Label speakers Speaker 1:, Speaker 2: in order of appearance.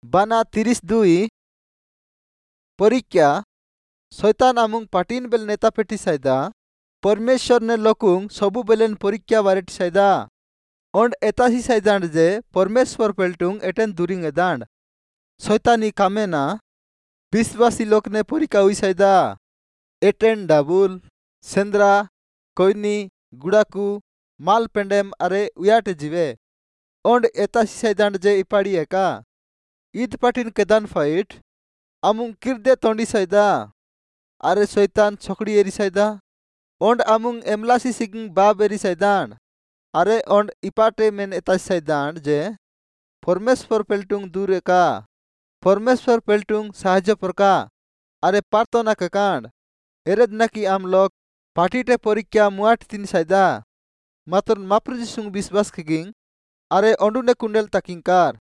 Speaker 1: बाना 32 परीक्षा शैतान आमुंग पाटिन बेल नेता पेटी साइदा परमेश्वर ने लोकुंग सबु बेलेन परीक्षा बारेट साइदा ओंड एतासी साइदांड जे परमेश्वर पेल्टुंग एटेन दूरिंग एदांड। शैतानी कामेना विश्वासी लोक ने परीक्षा हुई साइदा एटेन डाबुल सेंद्रा कोइनी गुड़ाकू माल पेंडेम अरे उयाटे जीवे ओंड एतासी साइदांड जे इपाड़ी एका ईद पाटिन केदान फाइट आमुंग किरदे तोंडी साइदा अरे शैतान छकड़ी एरी साइदा ओंड आमुंग एमलासी सिगिंग बाब एरी साइदांड अरे ओंड इपाटे मेन एतासी साइदांड जे परमेश्वर पेल्टुंग दूर एका परमेश्वर पेल्टुंग साहाय्य परका अरे प्रार्थना केकांड एरेद नाकि आम लोग पाटीटे परीक्षा मुआट तीन साइदा मात्र माप्रु जिसुंग विश्वास केगिंग अरे ओंडुने कुंडेल ताकिंकार।